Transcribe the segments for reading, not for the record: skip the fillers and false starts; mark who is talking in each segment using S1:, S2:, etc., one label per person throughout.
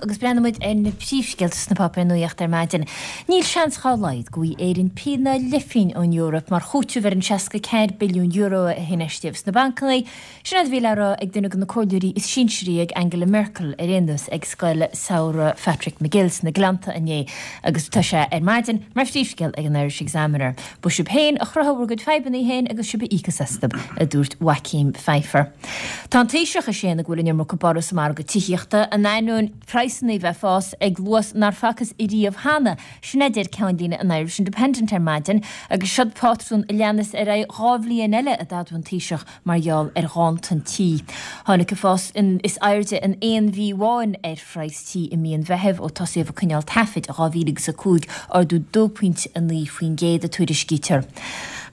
S1: agus breathnóidh muid ar na príomhscéalta sna páipéir nuachta ar maidin. Níl seans dhá laghad go bhfaighidh Éirinn pingin ná leathphingin ón Eoraip mar chúiteamh ar an €64 billiún a hinfheistíodh sna bancanna. Sin é a bhí le rá ag duine de na comhairleoirí is sinsearaí ag Angela Merkel ar aon nós ag Scoil Samhraidh Phatrick McGill sna Gleannta inné agus tá sé ar maidin mar phríomhscéal ag an Irish Examiner. Ba sibh féin a chruthaigh bhur gcuid fadhbanna féin agus sibh a íocfas astu, a dúirt Joachim Pfeiffer. Tá an Taoiseach ag séanadh go bhfuil an iomarca borradh sa margadh tithíochta, in ainneoin praghsanna a bheith ag fás ag luas nár facthas ariamh cheana. Sin é a deir ceannlíne an Irish Independent ar maidin agus seod pátrún a leanas ar aghaidh 2 bhliain eile, a d'admhaigh an Taoiseach mar gheall ar ghanntan tí. Tháinig an fás is airde in aon mhí amháin ar phraghas tí i mí an Mheithimh ó tosaíodh ag coinneáil taifid i 2005, ardú 2.9% a tuairiscítear.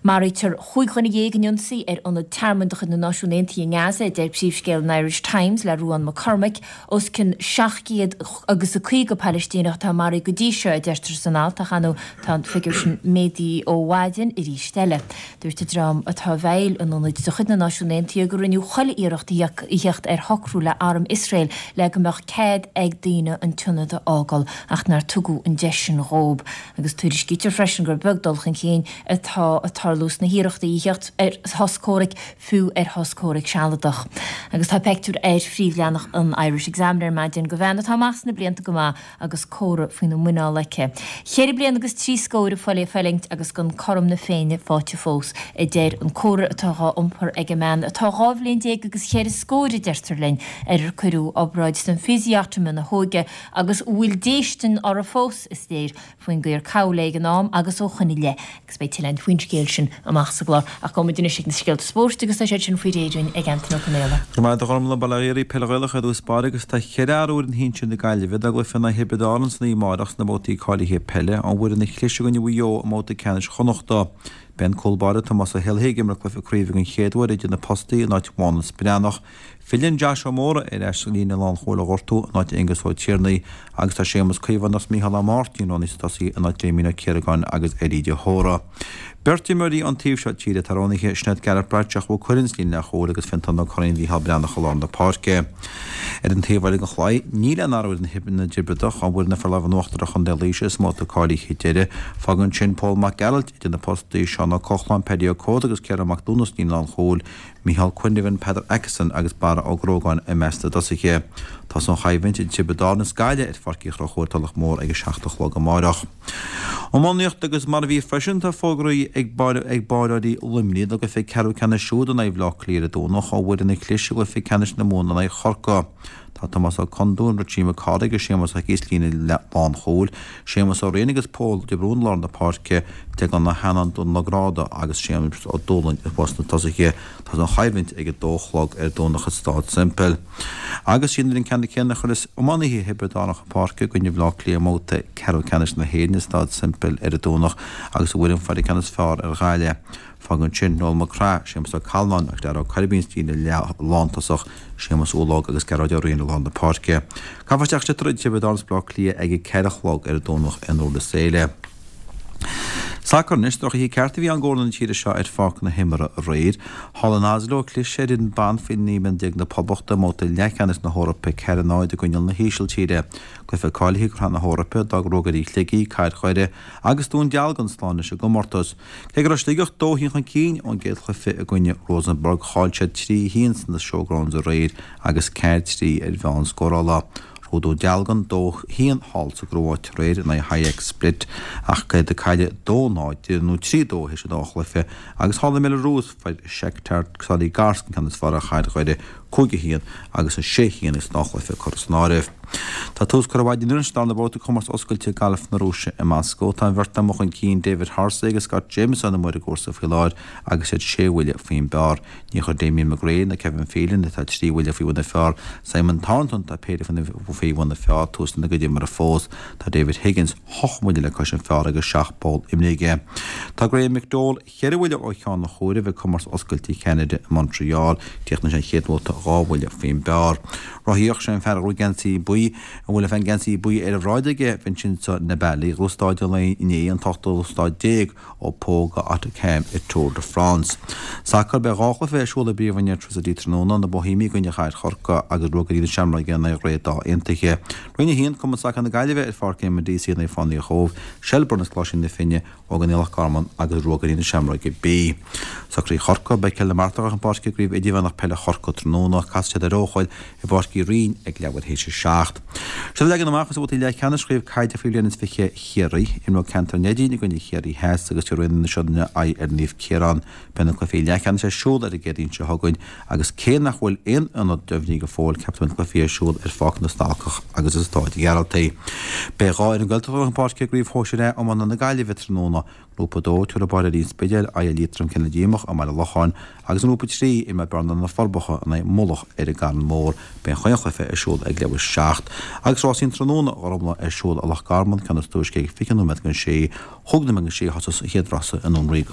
S1: Maraítear 15 dhuine in ionsaí ar ionad tearmainn de chuid na Náisiún Aontaithe i nGaza, a deir príomhscéal an Irish Times le Ruadhán Mac Cormaic. Os cionn 700 agus 50 Palaistíneach atá maraithe go dtí seo, a deirtear san alt, ach ar ndóigh tá an figiúr sin méadaithe ó mhaidin arís eile. Dúirt an dream atá i bhfeighil an ionaid de chuid na Náisiún Aontaithe go rinneadh chuile iarracht a theacht ar shocrú le arm Iosrael le go mbeadh cead ag daoine an t-ionad a fhágáil ach nár tugadh an deis sin dhóibh. Agus tuairiscítear freisin gur beag dul chun cinn atá ag tarlú sna hiarrachtaí a theacht ar shos comhraic, fiú ar shos comhraic sealadach. Agus tá peictiúr ar phríomhleathanach an Irish Examiner ar maidin de bhean atá amach sna blianta go maith agus cófra faoina muineál aici. Cheithre bliana agus trí scóir ag fulaingt agus gan cothrom na Féinne faighte fós, a deir an cófra atá dhá iompar ag an mbean atá 12 bhliain agus cheithre scór, a deirtear linn, ar ar cuireadh obráid den physiotomy ina hóige agus a bhfuil déistin uirthi fós, is léir, faoin gcaor cabhail ag an am agus ó shoin i leith. Agus beidh tuilleadh faoin scéal sin amach sa gclár. Ach gabhfaidh muid anois ag na scéalta spóirt agus tá siad sin faoi réir dúinn ag Antaine Ó Conaola.
S2: Go raibh maith agat a Ghormfhlaith, Bail ó Dhia oraibh, Peil Ghaelach ar dtús báire agus tá cheithre athrú ar fhoireann shinsir na Gaillimhe dá gcluiche in aghaidh Thiobraid Árann san oíche amárach sna babhtaí cáilithe peile, ón bhfoireann a chlis i gcoinne Mhaigh Eo i mbabhta ceannais Chonnachta. Beidh an cúl báire Tomás Ó hÉalaithe ag imirt cluiche craoibhe den chéad uair idir na postaí in áit Mhánus Breathnach. Filleann Josh Ó Mórdha ar ais sa líne lánchúil ó ghortú in áit Aonghus Ó Tiarnaigh agus tá Séamus Caomhánach is Micheál Ó Máirtín roghnaithe sna tosaithe in áit Damien Ó Ciaragáin agus Eddie de hÓra. Beirt imreoirí ón taobh seo tíre atá roghnaithe, sin iad Gareth Bradshaw Mhaigh Cuilinn sa líne leathchúil agus Fiontán Ó Curraoin Mhícheál Breathnach i lár na páirce. Ar an taobh eile den chlaí, níl aon athrú ar fhoireann na dTiobradach ón bhfoireann a fuair lámh in uachtar ar Chontae Laoise sa mbabhta cáilithe deiridh. Fágann sin Pól Mac Gearailt idir na postaí, Seán Ó Cochláin, Paddy Ó Códa agus Ciarán Mac Dúna sa líne lánchúil, Micheál Quinlivan, Peadar Akeson agus Barra Ó Grógáin i measc na dtosaithe. Tosóidh an choimhlint idir Tiobraid Árann is Gaillimh ar Pháirc Uí Chonchúir, Tulach Mhór ag a 7 a chlog amáireach. Iománaíocht agus mar a bhí freisin tá fógraithe ag ag báireoirí Luimnigh dá gcluiche ceathrú ceannais siúd in aghaidh Bhaile Átha Cliath ar an Domhnach ó bhfoireann a chlis i gcluiche ceannais na Mumhan in aghaidh Chorcaí. Tá Tomás Ó Condúin, Richie Mac Cárthaigh agus Séamus Ó hIcí sa líne lánchúil, Séamus Ó Riain agus Pól de Brún i lár na páirce, Declan Ó hEanáin, Dónal Ó Gráda agus Séamus Ó Dúlaing thuas sna tosaithe. Tá an choimhlint ag a dó a chlog ar Domhnach i Stáid Semple. Agus sin an ceann céanna a chuirfeas iománaithe Thiobraid Árann chun páirce i gcoinne Bhaile Átha Cliath i mbabhta ceathrú ceannais na hÉireann i Stáid Semple ar an Domhnach agus an bhfoireann fuair an ceann is fearr ar Ghaillimh. Fágann sin Noel McGrath, Séamus Ó Callanáin agus Darragh Ó Coirbín sa líne lántosach, Séamus Ulóg agus Gearóid Ó Riain i lár na páirce. Caithfear isteach sliotar idir Tiobraid Árann is Baile Átha Cliath ag a 4 a chlog ar an Domhnach i nDurlas Éile. Sacar anois, drochoíche ceart a bhí ann d'fhoirne na tíre seo ar pháirc na himeartha aréir. Thall in Oslo, chlis ar fhoireann ban faoi 19 mbliana na Poblachta i mbabhta leathcheannais na hEorpa 4-0 i gcoinne na hÍsiltíre. Cluiche cáilithe do Shraith na hEorpa, d'fhág Ruagairí Shligigh, Cathair Dhoire agus Dún Dealgan slán leis an gcomórtas. Cé go raibh Sligeach 2-1 chun cinn ón gcéad chluiche i gcoinne Rosenborg, chaill siad 3-1 sna Showgrounds aréir agus 4-3 ar mheán scórála. Ghnóthaigh Dún Dealgan 2-1 thall sa gCróit aréir in aghaidh HIK Split ach iad ag cailleadh 2-0 nó 3-2 théis an dá chluiche agus thall i mBelarús fuair Shakhtar Soligorsk an ceann is fearr ar Chathair Dhoire 5-1 agus 6-1 agus an dá chluiche curtha san áireamh. Tá tús curtha ar maidin inniu leis an darna babhta de Chomórtas Oscailte Gailf na Rúise i Moscó. Tá an bheirt amuigh chun cinn, David Horsey agus Scott Jamieson amuigh ar an gcúrsa faoi láthair agus iad sé bhuille faoin bpar. Níor chuir Damien McGrane ná Kevin Phelan, atá trí bhuille faoi bhun an phar, Simon Thornton, atá péire faoi bhun an phar, tús lena gcuid imeartha fós. Tá David Higgins ocht mbuille le cois an phar agus seacht bpoll imeartha aige. Tá Graham McDowell Cheithre bhuille ó cheann an chomhairimh ag Comórtas Oscailte Cheanada i Montreal. Chríochnaigh sé an chéad bhabhta dhá bhuille faoin bpar. Rothaíocht, sé an fear a ghnóthaigh geansaí buí i. A bhfuil an geansaí buí ar a bhráid aige, Vincenzo Nibali, dhá stáid an lae inné, an t-ochtú stáid déag ó Pau go Hautacam i Tour de France. Sacar, Beidh 2 chluiche ar siúl i bPríomhroinn Airtricity tráthnóna, Na Boihéimigh i gcoinne Chathair Chorcaí agus Ruagairí na Seamróige in aghaidh Rae Dáth Aontaithe. Roinn 1, Cumann Sacair na Gaillimhe ar Pháirc Éamonn Deacy in aghaidh Fánaí an Chóibh, Shelbourne agus Coláiste na Finne, Ógánach Loch Garman agus Ruagairí na Seamróige B. Socraí Chorcaí, Beidh Cill na Martra chun páirce i gCraobh Idirmheánach Peile Chorcaí tráthnóna. Casfaidh siad ar Eochaill i bPáirc Uí Rinn ag leathuair théis a 7. Seo leagan amach as babhtaí leathcheannais Chraobh Caide faoi bhliain is 20 Chiarraí. Imreoidh Ceantar Neidín i gcoinne Chiarraí Theas agus tabharfaidh na Sionainne aghaidh ar Naomh Ciarán. Beidh na cluichí leathcheannais ar siúl ar an gCéadaoin seo chugainn agus cé nach bhfuil aon ionad deimhnithe go fóill, ceaptar go mbeidh na cluichí ar siúl ar Pháirc na Stalcach agus i Stáid Ghearaltaigh. Beidh 2 fhoireann Gaeltachta chun páirce i gCraobh Shóisir A Iomána na Gaillimhe tráthnóna. Grúpa 2, tabharfaidh Baile an Spidéil aghaidh ar Liatroim Cionn Díomach i mBaile Locháin agus i nGrúpa 3, imreoidh Bearna Na Forbacha in aghaidh Mullach ar an gCarn Mór. Beidh an chaon chluiche ar siúl ag leathuair 7. Agus rásaí an tráthnóna Ghormfhlaith ar siúl i Loch Garman, ceann is túisce ag 20 nóiméad don 6, chúig nóiméad don 6 a thosós an chéad rása i nDún Ríoga.